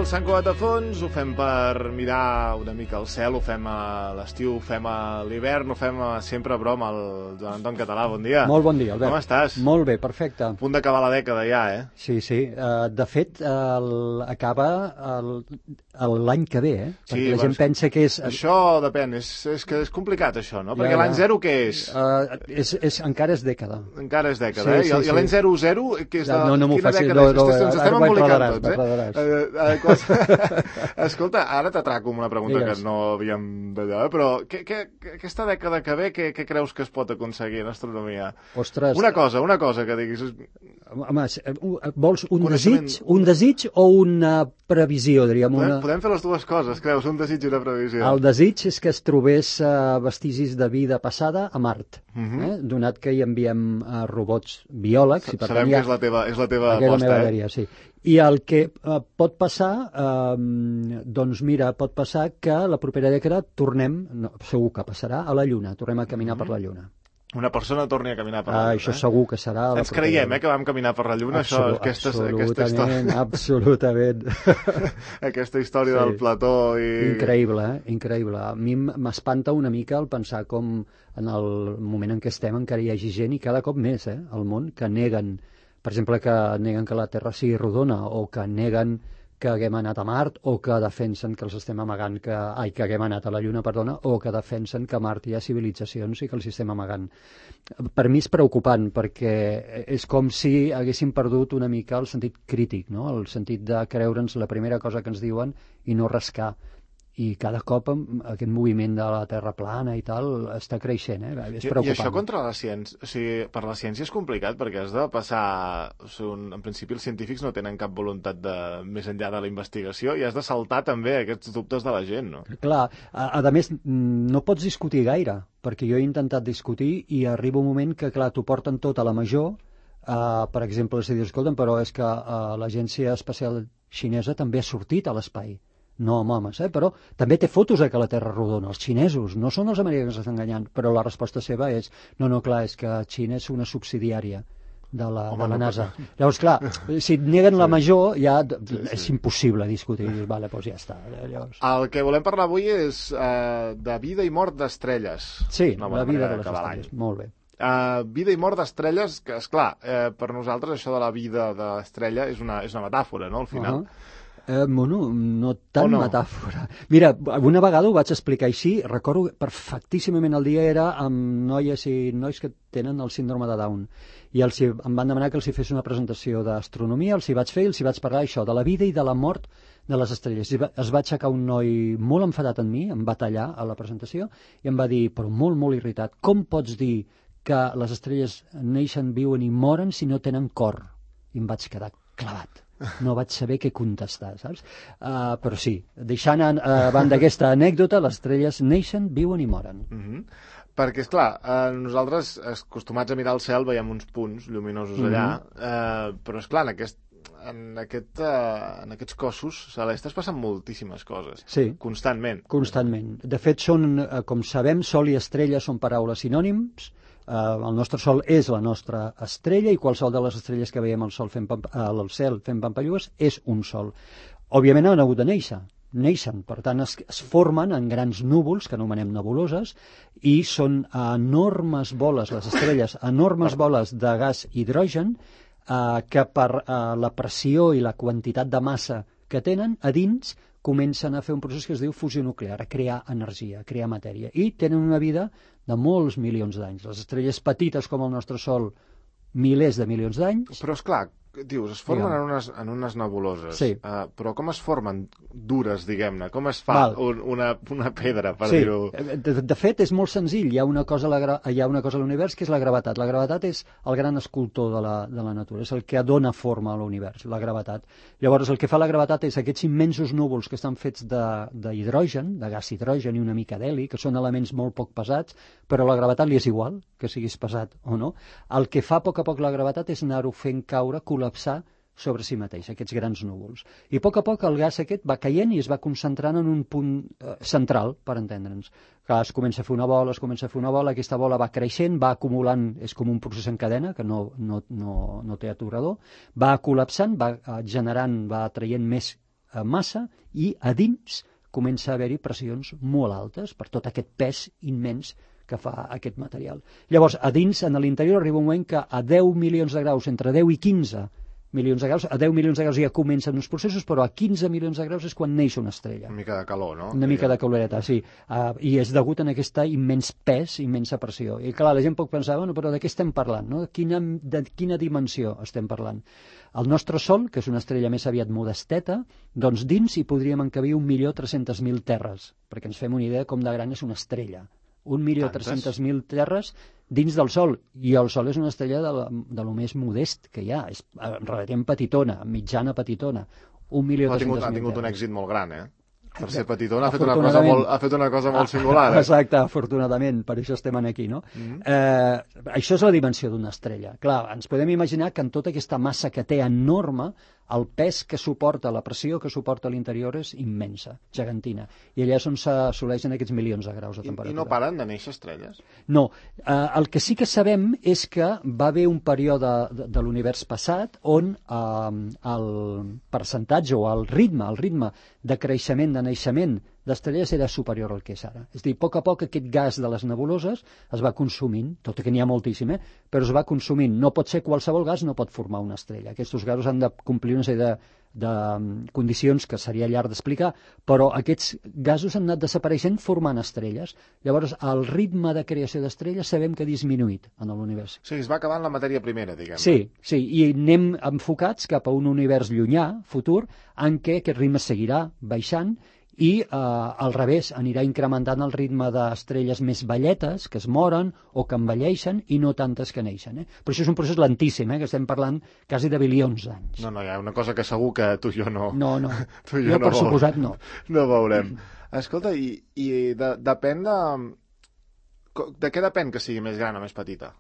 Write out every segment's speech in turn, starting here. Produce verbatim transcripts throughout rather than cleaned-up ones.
el Sant Cugat de Fons, ho fem per mirar una mica el cel, ho fem a l'estiu, ho fem a l'hivern, ho fem a sempre a broma al Joan Anton Català. Bon dia. Molt bon dia, Albert. Com estàs? Molt bé, perfecte. A punt d'acabar la dècada ja, eh? Sí, sí. Uh, de fet, uh, acaba l'any que ve, eh? Perquè Sí, la gent pensa que és... Això depèn, és, és que és complicat això, no? Perquè Ja, ja. l'any zero què és? Uh, és, és? Encara és dècada. Encara és dècada, Sí, eh? I, sí, I sí. l'any zero zero, que és de... No, no m'ho quina facis, dècada no, és? no, Ens estem ara m'ho embolicant enredaràs, tots, eh? m'enredaràs. Uh, uh, quals... Escolta, ara t'atraco amb una pregunta Digues. que no havíem d'allò, eh? Però què, què, aquesta dècada que ve, què, què creus que es pot aconseguir en astronomia? Ostres. Una cosa, una cosa que diguis... Home, vols un Coneixement- desig, un desig o una previsió, diríem? Podem, Una... podem fer les dues coses, creus? Un desig i una previsió. El desig és que es trobés uh, vestigis de vida passada a Mart, Mhm. eh? Donat que hi enviem uh, robots biòlegs. I per Sabem tant, que ja- és la teva, és la teva Aquesta és la aposta, meva eh? dèria, sí. I el que eh, pot passar, eh, doncs mira, pot passar que la propera dècada tornem, no, segur que passarà, a la Lluna, tornem a caminar per la Lluna. Una persona torni a caminar per la Ah, Lluna. això eh? segur que serà... a la Ens propera creiem, Lluna. eh, que vam caminar per la Lluna, això, Absolu- aquesta, aquesta absolutament, història, absolutament. aquesta història Sí. del plató i... Increïble, eh? Increïble. A mi m- m'espanta una mica el pensar com en el moment en què estem encara hi hagi gent, i cada cop més, eh, al món, que neguen, per exemple, que neguen que la Terra sigui rodona, o que neguen que haguem anat a Mart, o que defensen que els estem amagant, que, ai, que haguem anat a la Lluna, perdona, o que defensen que a Mart hi ha civilitzacions i que els estem amagant. Per mi és preocupant, perquè és com si haguéssim perdut una mica el sentit crític, no? El sentit de creure'ns la primera cosa que ens diuen i no rascar. I cada cop amb aquest moviment de la Terra plana i tal està creixent, eh? És I, preocupant. I això contra la ciència, o sigui, per la ciència és complicat perquè has de passar, o sigui, un, en principi els científics no tenen cap voluntat de més enllà de la investigació i has de saltar també aquests dubtes de la gent, no? Clar, a, a més, no pots discutir gaire, perquè jo he intentat discutir i arriba un moment que, clar, t'ho porten tot a la major, uh, per exemple, si dius, escolta'm, però és que uh, l'Agència Espacial Xinesa també ha sortit a l'espai. No amb homes, eh? Però també té fotos de que la Terra és rodona. Els xinesos, no són els americans que estan enganyant, però la resposta seva és no, no, clar, és que Xina és una subsidiària de la, Home, de la no, NASA. Llavors, clar, si et neguen la major, ja Sí, sí. és impossible discutir. Dius, vale, doncs ja està. Llavors... El que volem parlar avui és uh, de vida i mort d'estrelles. Sí, Una la bona vida manera de les d'acabar estrelles. l'any. Molt bé. Uh, vida i mort d'estrelles, que esclar, eh, per nosaltres això de la vida de l'estrella és una, és una metàfora, no?, al final. Uh -huh. Eh, bueno, no tan O no? metàfora. Mira, una vegada ho vaig explicar així, recordo perfectíssimament el dia era amb noies i nois que tenen el síndrome de Down, i els, hi- em van demanar que els hi fes una presentació d'astronomia, els hi vaig fer i els hi vaig parlar això, de la vida i de la mort de les estrelles. I va, es va aixecar un noi molt enfadat amb mi, em va tallar a la presentació i em va dir, però molt, molt irritat, com pots dir que les estrelles neixen, viuen i moren si no tenen cor? I em vaig quedar clavat. No vaig saber què contestar, saps? Uh, però sí, deixant a, a banda aquesta anècdota, les estrelles neixen, viuen i moren. Mm -hmm. Perquè, és clar, eh, nosaltres, acostumats a mirar el cel, veiem uns punts lluminosos allà, Mhm. eh, però, és clar, en, aquest, en, aquest, eh, en aquests cossos celestes passen moltíssimes coses, Sí, constantment. constantment. De fet, són, eh, com sabem, sol i estrella són paraules sinònims. Uh, el nostre sol és la nostra estrella i qualsevol de les estrelles que veiem al, sol fent pamp al cel fent pampallues és un sol. Òbviament han hagut de néixer, neixen, per tant es, es formen en grans núvols que anomenem nebuloses i són enormes boles, les estrelles, enormes boles de gas hidrogen uh, que per uh, la pressió i la quantitat de massa que tenen a dins comencen a fer un procés que es diu fusió nuclear, a crear energia, a crear matèria, i tenen una vida de molts milions d'anys. Les estrelles petites com el nostre Sol, milers de milions d'anys. Però, és clar, dius, es formen Digue'm. en unes, en unes nebuloses, Sí. uh, però com es formen dures, diguem-ne? Com es fa Val. un, una, una pedra, per Sí, dir-ho? de, de fet és molt senzill, hi ha una cosa a la gra- hi ha una cosa a l'univers que és la gravetat. La gravetat és el gran escultor de la, de la natura, és el que dona forma a l'univers, la gravetat. Llavors el que fa la gravetat és aquests immensos núvols que estan fets de- d'hidrogen, de, de gas hidrogen i una mica d'heli, que són elements molt poc pesats, però la gravetat li és igual, que siguis pesat o no. El que fa a poc a poc la gravetat és anar-ho fent caure, col·lapsar sobre si mateix, aquests grans núvols. I a poc a poc el gas aquest va caient i es va concentrant en un punt eh, central, per entendre'ns. Que es comença a fer una bola, es comença a fer una bola, aquesta bola va creixent, va acumulant, és com un procés en cadena, que no, no, no, no té aturador, va col·lapsant, va eh, generant, va traient més massa i a dins comença a haver-hi pressions molt altes per tot aquest pes immens que fa aquest material. Llavors, a dins, en l'interior, arriba un moment que a deu milions de graus, entre deu i quinze milions de graus, a deu milions de graus ja comencen uns processos, però a quinze milions de graus és quan neix una estrella. Una mica de calor, no? Una mica de caloreta, sí. Uh, I és degut a aquest immens pes, immensa pressió. I clar, la gent pot pensar, bueno, però de què estem parlant? No? Quina, de quina dimensió estem parlant? El nostre Sol, que és una estrella més aviat modesteta, doncs dins hi podríem encabir un milió tres-cents mil terres, perquè ens fem una idea com de gran és una estrella. Un milió tres-cents mil terres dins del Sol, i el Sol és una estrella de, la, de lo més modest que hi ha, és relativament petitona, mitjana petitona, un milió tres-cents mil terres. Ha tingut un èxit molt gran, eh? Per ser petitona ha fet una cosa molt, ha fet una cosa molt singular. Eh? Exacte, afortunadament, per això estem aquí, no? Mm-hmm. eh, això és la dimensió d'una estrella. Clar, ens podem imaginar que en tota aquesta massa que té enorme, el pes que suporta, la pressió que suporta a l'interior és immensa, gegantina. I allà és on s'assoleixen aquests milions de graus de temperatura. I, i no paren de néixer estrelles? No. Eh, el que sí que sabem és que va haver un període de, de l'univers passat on eh, el percentatge o el ritme, el ritme de creixement, de naixement d'estrelles era superior al que és ara. És a dir, a poc a poc aquest gas de les nebuloses es va consumint, tot i que n'hi ha moltíssim, eh? Però es va consumint. No pot ser qualsevol gas, no pot formar una estrella. Aquests gasos han de complir una sèrie de, de condicions que seria llarg d'explicar, però aquests gasos han anat desapareixent formant estrelles. Llavors, el ritme de creació d'estrelles sabem que ha disminuït en l'univers. O sigui, es va acabant la matèria primera, diguem. Sí, sí, i anem enfocats cap a un univers llunyà, futur, en què aquest ritme seguirà baixant i eh, al revés, anirà incrementant el ritme d'estrelles més velletes, que es moren o que envelleixen, i no tantes que neixen. Eh? Però això és un procés lentíssim, eh? Que estem parlant quasi de bilions d'anys. No, no, hi ha una cosa que segur que tu i jo no... No, no, tu i jo, jo no per veurem. suposat no. No veurem. Escolta, i, i de, depèn de... De què depèn que sigui més gran o més petita?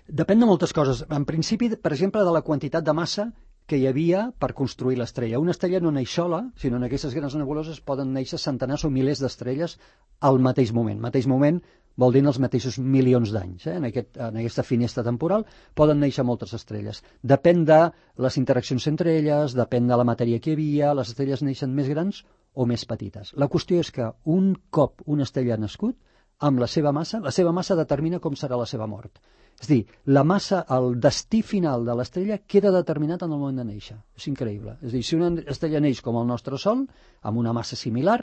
Depèn de moltes coses. En principi, per exemple, de la quantitat de massa que hi havia per construir l'estrella. Una estrella no neix sola, sinó en aquestes grans nebuloses poden néixer centenars o milers d'estrelles al mateix moment. Mateix moment vol dir en els mateixos milions d'anys. Eh? En, aquest, en aquesta finestra temporal poden néixer moltes estrelles. Depèn de les interaccions entre elles, depèn de la matèria que hi havia, les estrelles neixen més grans o més petites. La qüestió és que un cop una estrella ha nascut, amb la seva massa, la seva massa determina com serà la seva mort. És a dir, la massa, el destí final de l'estrella queda determinat en el moment de néixer. És increïble. És a dir, si una estrella neix com el nostre Sol, amb una massa similar,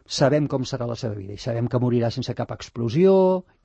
sabem com serà la seva vida i sabem que morirà sense cap explosió,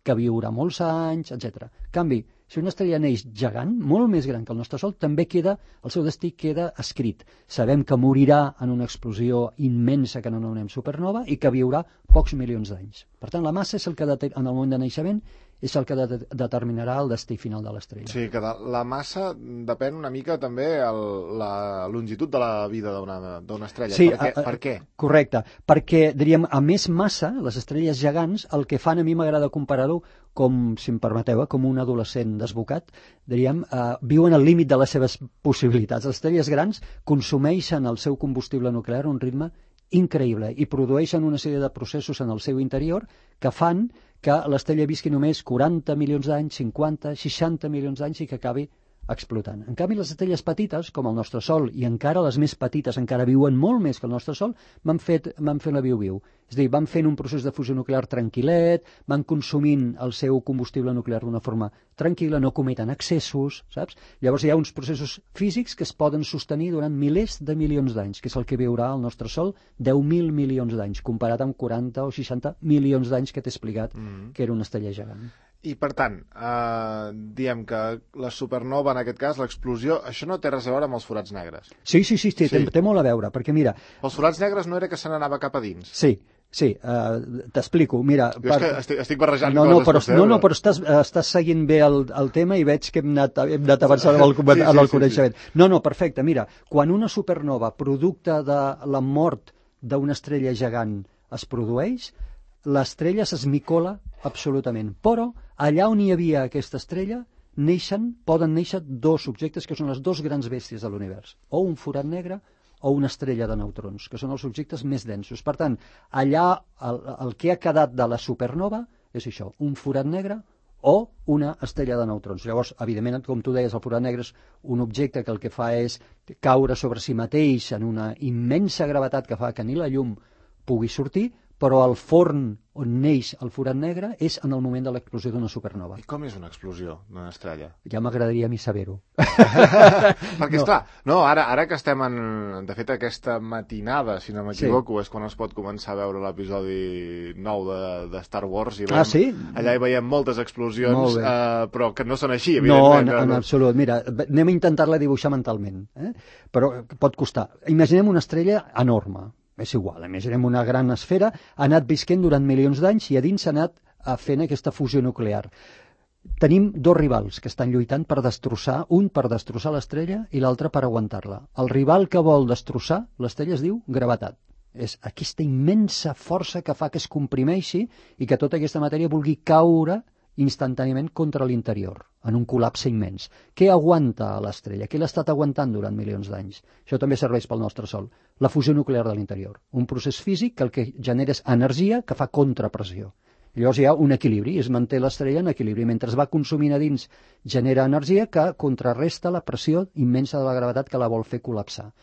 que viurà molts anys, etcètera. En canvi, si una estrella neix gegant, molt més gran que el nostre Sol, també queda, el seu destí queda escrit. Sabem que morirà en una explosió immensa que anomenem supernova i que viurà pocs milions d'anys. Per tant, la massa és el que en el moment de naixement és el que de determinarà el destí final de l'estrella. Sí, que de la massa depèn una mica també el, la longitud de la vida d'una estrella. Sí, per, què? A, a, per què? Correcte, perquè, diríem, a més massa, les estrelles gegants, el que fan, a mi m'agrada comparar-ho com, si em permeteu, com un adolescent desbocat, diríem, eh, viuen al límit de les seves possibilitats. Les estrelles grans consumeixen el seu combustible nuclear a un ritme increïble i produeixen una sèrie de processos en el seu interior que fan que l'estrella visqui només quaranta milions d'anys, cinquanta, seixanta milions d'anys i que acabi explotant. En canvi, les estrelles petites, com el nostre Sol, i encara les més petites, encara viuen molt més que el nostre Sol, van fet, van fent la viu-viu. És a dir, van fent un procés de fusió nuclear tranquil·let, van consumint el seu combustible nuclear d'una forma tranquil·la, no cometen excessos, saps? Llavors hi ha uns processos físics que es poden sostenir durant milers de milions d'anys, que és el que viurà el nostre Sol, deu mil milions d'anys, comparat amb quaranta o seixanta milions d'anys que t'he explicat mm. que era una estrella gegant. I, per tant, eh, diem que la supernova, en aquest cas, l'explosió, això no té res a veure amb els forats negres. Sí, sí, sí, sí, sí. Té, té molt a veure, perquè mira... Els forats negres no era que se n'anava cap a dins? Sí, sí, uh, t'explico, mira... Jo per... és que estic, estic barrejant no, no, coses. Però, Vostè, no, no, però estàs, estàs seguint bé el, el tema i veig que hem anat, hem anat avançant amb el, sí, sí, el coneixement. Sí, sí. No, no, perfecte, mira, quan una supernova, producte de la mort d'una estrella gegant, es produeix, l'estrella s'esmicola absolutament, però allà on hi havia aquesta estrella neixen, poden néixer dos objectes que són les dos grans bèsties de l'univers, o un forat negre o una estrella de neutrons, que són els objectes més densos. Per tant, allà el, el que ha quedat de la supernova és això, un forat negre o una estrella de neutrons. Llavors, evidentment, com tu deies, el forat negre és un objecte que el que fa és caure sobre si mateix en una immensa gravetat que fa que ni la llum pugui sortir, però el forn on neix el forat negre és en el moment de l'explosió d'una supernova. I com és una explosió d'una estrella? Ja m'agradaria a mi saber-ho. Perquè, no. esclar, no, ara, ara que estem en... De fet, aquesta matinada, si no m'equivoco, sí. és quan es pot començar a veure l'episodi nou de, de Star Wars. I veiem, ah, sí? Allà hi veiem moltes explosions, eh, però que no són així, no, evidentment. No, en absolut. Mira, anem a intentar-la dibuixar mentalment, eh? Però pot costar. Imaginem una estrella enorme. És igual, imaginem una gran esfera, ha anat visquent durant milions d'anys i a dins s'ha anat fent aquesta fusió nuclear. Tenim dos rivals que estan lluitant per destrossar, un per destrossar l'estrella i l'altre per aguantar-la. El rival que vol destrossar l'estrella es diu gravetat. És aquesta immensa força que fa que es comprimeixi i que tota aquesta matèria vulgui caure instantàniament contra l'interior, en un col·lapse immens. Què aguanta a l'estrella? Què l'ha estat aguantant durant milions d'anys? Això també serveix pel nostre Sol. La fusió nuclear de l'interior. Un procés físic que el que genera és energia que fa contrapressió. Llavors hi ha un equilibri, es manté l'estrella en equilibri. Mentre es va consumint a dins, genera energia que contrarresta la pressió immensa de la gravetat que la vol fer col·lapsar.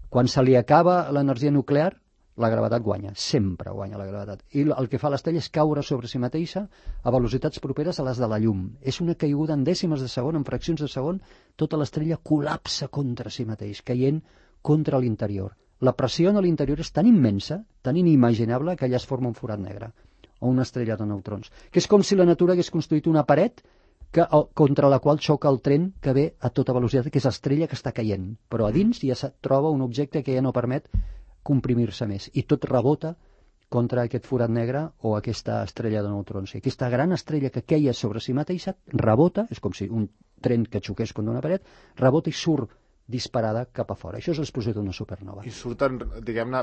Quan se li acaba l'energia nuclear, la gravetat guanya, sempre guanya la gravetat. I el que fa l'estrella és caure sobre si mateixa a velocitats properes a les de la llum. És una caiguda en dècimes de segon, en fraccions de segon, tota l'estrella col·lapsa contra si mateix, caient contra l'interior. La pressió a l'interior és tan immensa, tan inimaginable, que allà es forma un forat negre, o una estrella de neutrons. Que és com si la natura hagués construït una paret que, contra la qual xoca el tren que ve a tota velocitat, que és l'estrella que està caient. Però a dins ja es troba un objecte que ja no permet comprimir-se més, i tot rebota contra aquest forat negre o aquesta estrella de neutrons. I aquesta gran estrella que queia sobre si mateixa rebota, és com si un tren que xoqués contra una paret, rebota i surt disparada cap a fora. Això és l'explosió d'una supernova. I surten, diguem-ne,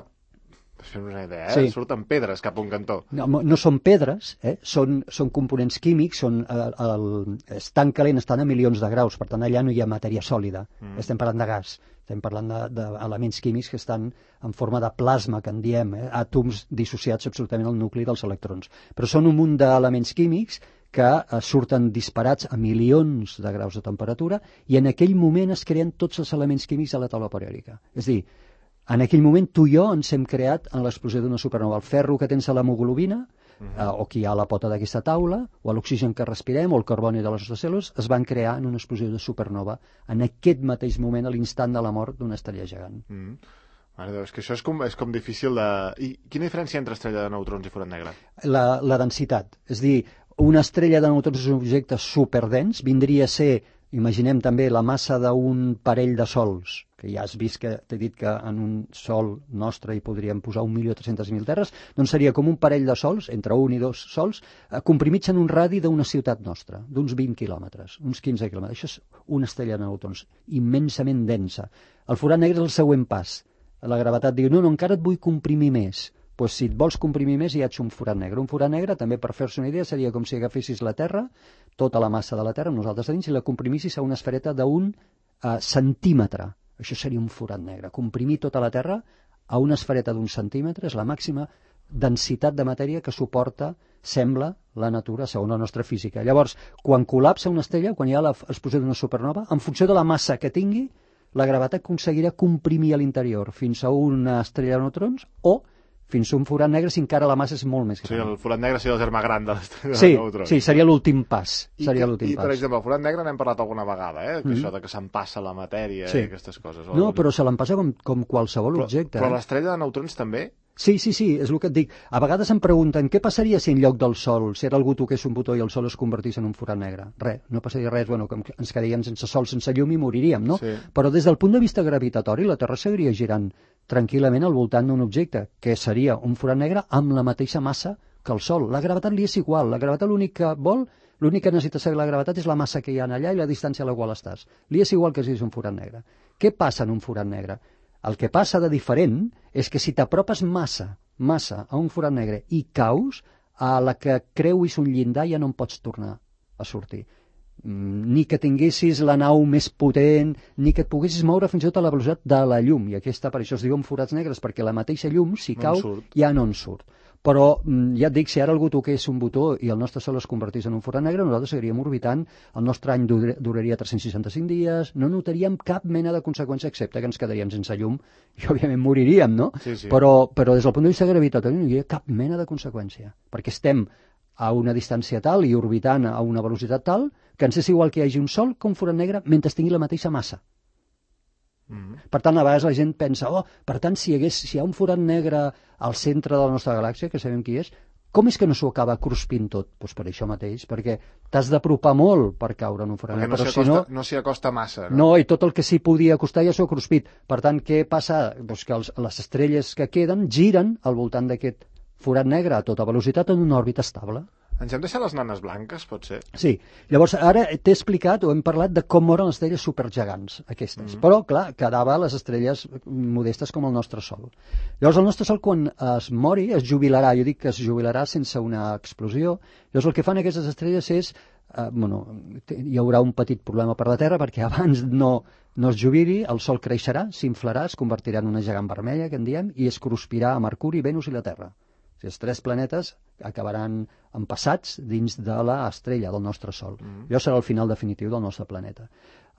fem una idea, eh? Sí. Surten pedres cap a un cantó. No, no són pedres, eh? són, són components químics, són, el, el, estan calent, estan a milions de graus, per tant allà no hi ha matèria sòlida, mm. estem parlant de gas, estem parlant d'elements químics que estan en forma de plasma, que en diem, eh? àtoms dissociats absolutament al nucli dels electrons. Però són un munt d'elements químics que eh, surten disparats a milions de graus de temperatura i en aquell moment es creen tots els elements químics de la taula periòdica. És a dir, en aquell moment tu i jo ens hem creat en l'explosió d'una supernova. El ferro que tens a l'hemoglobina, uh-huh. eh, o que hi ha a la pota d'aquesta taula, o l'oxigen que respirem, o el carboni de les nostres cèl·lules, es van crear en una explosió de supernova en aquest mateix moment, a l'instant de la mort d'una estrella gegant. Mm. Mare Déu, és que això és com, és com difícil de... I quina diferència entre estrella de neutrons i forat negre? La, la densitat. És dir, una estrella de neutrons és un objecte superdens, vindria a ser, imaginem també, la massa d'un parell de sols, que ja has vist que t'he dit que en un sol nostre hi podríem posar un milió tres-centes mil terres, doncs seria com un parell de sols, entre un i dos sols, eh, comprimits en un radi d'una ciutat nostra, d'uns vint quilòmetres, uns quinze quilòmetres. Això és una estrella de neutrons, immensament densa. El forat negre és el següent pas. La gravetat diu, no, no, encara et vull comprimir més. Doncs si et vols comprimir més, hi ha un forat negre. Un forat negre, també per fer-se una idea, seria com si agafessis la Terra, tota la massa de la Terra, amb nosaltres a dins, i la comprimissis a una esfereta d'un uh, centímetre. Això seria un forat negre. Comprimir tota la Terra a una esfereta d'un centímetre és la màxima densitat de matèria que suporta, sembla, la natura segons la nostra física. Llavors, quan col·lapsa una estrella, quan hi ha l'explosió d'una supernova, en funció de la massa que tingui, la gravetat aconseguirà comprimir a l'interior fins a una estrella de neutrons o fins a un forat negre si encara la massa és molt més gran. Sí, el forat negre seria el germà gran de l'estrella sí, de neutrons. Sí, seria l'últim pas. I, seria i, l'últim i pas. per exemple, el forat negre n'hem parlat alguna vegada, eh? Que mm-hmm. això de que s'empassa la matèria sí. i aquestes coses. No, però se l'empassa com, com qualsevol però, objecte. Però eh? l'estrella de neutrons també? Sí, sí, sí, és el que et dic. A vegades em pregunten què passaria si en lloc del Sol, si ara algú toqués un botó i el Sol es convertís en un forat negre. Res, no passaria res, bueno, que ens quedaríem sense Sol, sense llum i moriríem, no? Sí. Però des del punt de vista gravitatori, la Terra seguiria girant tranquil·lament al voltant d'un objecte, que seria un forat negre amb la mateixa massa que el Sol. La gravetat li és igual, la gravetat l'únic que vol, l'únic que necessita saber la gravetat és la massa que hi ha allà i la distància a la qual estàs. Li és igual que siguis un forat negre. Què passa en un forat negre? El que passa de diferent és que si t'apropes massa, massa a un forat negre i caus, a la que creuis un llindar ja no en pots tornar a sortir. Ni que tinguessis la nau més potent, ni que et poguessis moure fins i tot a la velocitat de la llum. I aquesta, per això es diuen forats negres, perquè la mateixa llum, si no cau, ja no en surt. Però ja et dic, si ara algú toqués un botó i el nostre Sol es convertís en un forat negre, nosaltres seguiríem orbitant, el nostre any duraria tres-cents seixanta-cinc dies, no notaríem cap mena de conseqüència, excepte que ens quedaríem sense llum i òbviament moriríem, no? Sí, sí. Però, però des del punt de vista gravitatori no hi ha cap mena de conseqüència, perquè estem a una distància tal i orbitant a una velocitat tal que ens és igual que hi hagi un Sol que un forat negre mentre tingui la mateixa massa. Mm-hmm. Per tant, a vegades la gent pensa, oh, per tant, si hi, hagués, si hi ha un forat negre al centre de la nostra galàxia, que sabem qui és, com és que no s'ho acaba cruspint tot? Doncs pues per això mateix, perquè t'has d'apropar molt per caure en un forat negre. Perquè no s'hi acosta, no s'hi acosta massa, no? No, i tot el que s'hi podia acostar ja s'ho ha cruspit. Per tant, què passa? Doncs que els, les estrelles que queden giren al voltant d'aquest forat negre a tota velocitat en una òrbita estable. Ens hem deixat les nanes blanques, pot ser? Sí. Llavors, ara t'he explicat o hem parlat de com moren les estrelles supergegants, aquestes. Mm-hmm. Però, clar, quedava les estrelles modestes com el nostre Sol. Llavors, el nostre Sol, quan es mori, es jubilarà. Jo dic que es jubilarà sense una explosió. Llavors, el que fan aquestes estrelles és... Eh, bueno, hi haurà un petit problema per la Terra, perquè abans no, no es jubili, el Sol creixerà, s'inflarà, es convertirà en una gegant vermella, que en diem, i es cruspirà a Mercuri, Venus i la Terra. O sigui, els tres planetes acabaran empassats dins de l'estrella del nostre Sol. Mm. Allò serà el final definitiu del nostre planeta.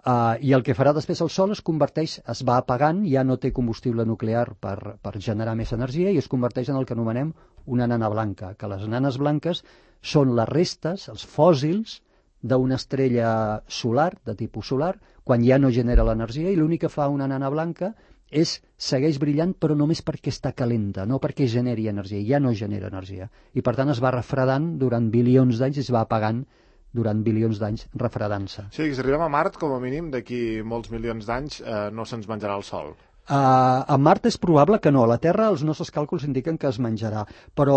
Uh, I el que farà després el Sol es converteix, es va apagant, ja no té combustible nuclear per, per generar més energia i es converteix en el que anomenem una nana blanca, que les nanes blanques són les restes, els fòssils d'una estrella solar, de tipus solar, quan ja no genera l'energia, i l'únic que fa una nana blanca és segueix brillant, però només perquè està calenta, no perquè generi energia, ja no genera energia. I per tant es va refredant durant bilions d'anys i es va apagant durant bilions d'anys refredant-se. Sí, si arribem a Mart, com a mínim, d'aquí molts milions d'anys eh, no se'ns menjarà el Sol. Uh, a Mart és probable que no. A la Terra els nostres càlculs indiquen que es menjarà. Però,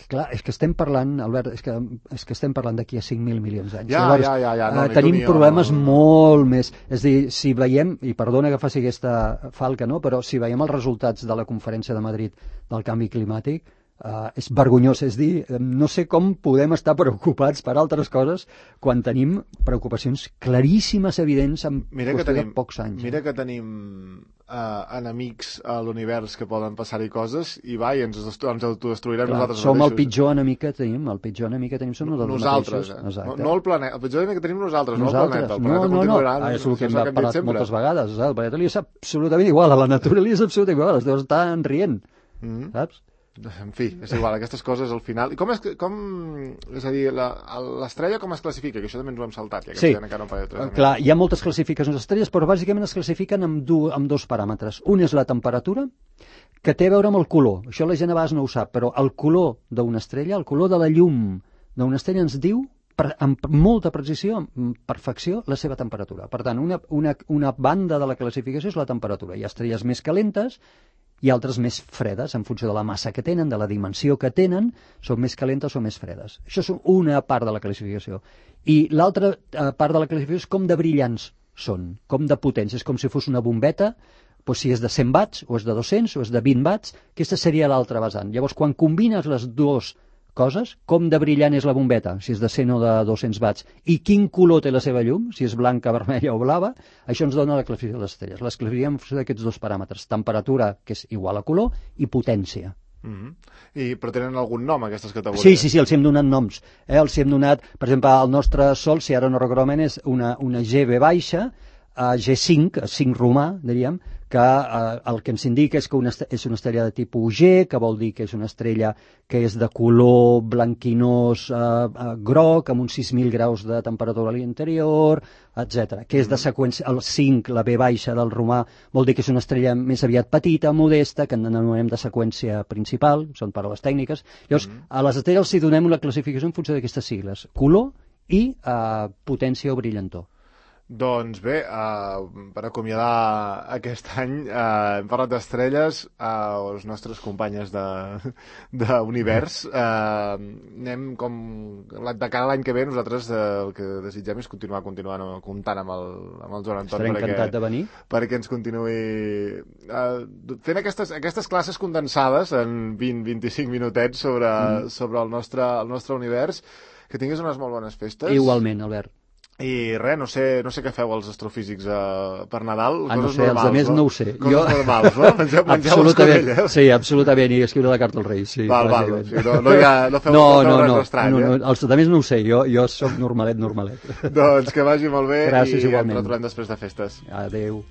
clar, és que estem parlant, Albert, és que, és que estem parlant d'aquí a cinc mil milions d'anys. Ja, Llavors, ja, ja, ja. No, uh, tenim problemes no. molt més. És a dir, si veiem, i perdona que faci aquesta falca, no? Però si veiem els resultats de la conferència de Madrid del canvi climàtic, Uh, és vergonyós, és dir, no sé com podem estar preocupats per altres coses quan tenim preocupacions claríssimes, evidents, en qüestió tenim, de pocs anys. Mira eh? que tenim uh, enemics a l'univers que poden passar-hi coses i va, i ens, ens autodestruirem Clar, nosaltres som mateixos. el pitjor enemic que tenim, el pitjor enemic que tenim som nosaltres, nosaltres mateixos. Eh? No, no el planeta, el pitjor enemic que tenim nosaltres, nosaltres. no el planeta. El planeta no, no, continuarà. No, és el que hem parlat moltes vegades. El planeta li és absolutament igual, a la natura li és absolutament igual, els dos estan rient, mm-hmm. saps? En fi, és igual, aquestes coses al final... I com és, com, és a dir, l'estrella com es classifica? Que això també ens ho hem saltat. Ja que sí, encara no clar, hi ha moltes classificacions d'estrelles, però bàsicament es classifiquen amb, du, amb dos paràmetres. Un és la temperatura, que té a veure amb el color. Això la gent a vegades no ho sap, però el color d'una estrella, el color de la llum d'una estrella ens diu, per, amb molta precisió, amb perfecció, la seva temperatura. Per tant, una, una, una banda de la classificació és la temperatura. Hi ha estrelles més calentes i altres més fredes, en funció de la massa que tenen, de la dimensió que tenen, són més calentes o més fredes. Això és una part de la classificació. I l'altra part de la classificació és com de brillants són, com de potents. És com si fos una bombeta, doncs si és de cent watts, o és de dos-cents, o és de vint watts, aquesta seria l'altra vessant. Llavors, quan combines les dues coses, com de brillant és la bombeta, si és de cent o de dos-cents watts, i quin color té la seva llum, si és blanca, vermella o blava, això ens dona la classificació de les estrelles. Les classifiquem en funció d'aquests dos paràmetres, temperatura, que és igual a color, i potència. Mm-hmm. I, però tenen algun nom, aquestes categories? Sí, sí, sí, els hem donat noms. Eh? Els hem donat, per exemple, el nostre Sol, si ara no recordo és una, una G B baixa, uh, G cinc, cinc romà, diríem, que eh, el que ens indica és que una, és una estrella de tipus G, que vol dir que és una estrella que és de color blanquinós eh, eh, groc, amb uns sis mil graus de temperatura a l'interior, etcètera. Que és de seqüència, el cinc, la B baixa del romà, vol dir que és una estrella més aviat petita, modesta, que en anomenem de seqüència principal, són paraules tècniques. Llavors, mm-hmm. a les estrelles els donem una classificació en funció d'aquestes sigles, color i eh, potència o brillantor. Doncs bé, uh, per acomiadar aquest any uh, hem parlat d'estrelles, uh, les nostres companyes d'univers. Uh, anem com de cada l'any que ve, nosaltres uh, el que desitgem és continuar continuant comptant amb el, amb el Joan Anton. Estaré encantat de venir. Perquè ens continuï uh, fent aquestes, aquestes classes condensades en vint a vint-i-cinc minutets sobre, mm. sobre el, nostre, el nostre univers. Que tinguis unes molt bones festes. Igualment, Albert. I res, no sé, no sé què feu els astrofísics uh, per Nadal. Ah, no coses sé, normals, els altres no? no ho sé. Coses jo... normals, no? Mengeu, mengeu les codelles. Sí, absolutament, i escriure la carta als Reis. Sí, val, val, o sigui, no, no, hi ha, no feu, no, no feu no, res no, estrany, no, no, eh? els altres no ho sé, jo, jo sóc normalet, normalet. Doncs que vagi molt bé. Gràcies, i igualment. ens retrobem després de festes. Adéu.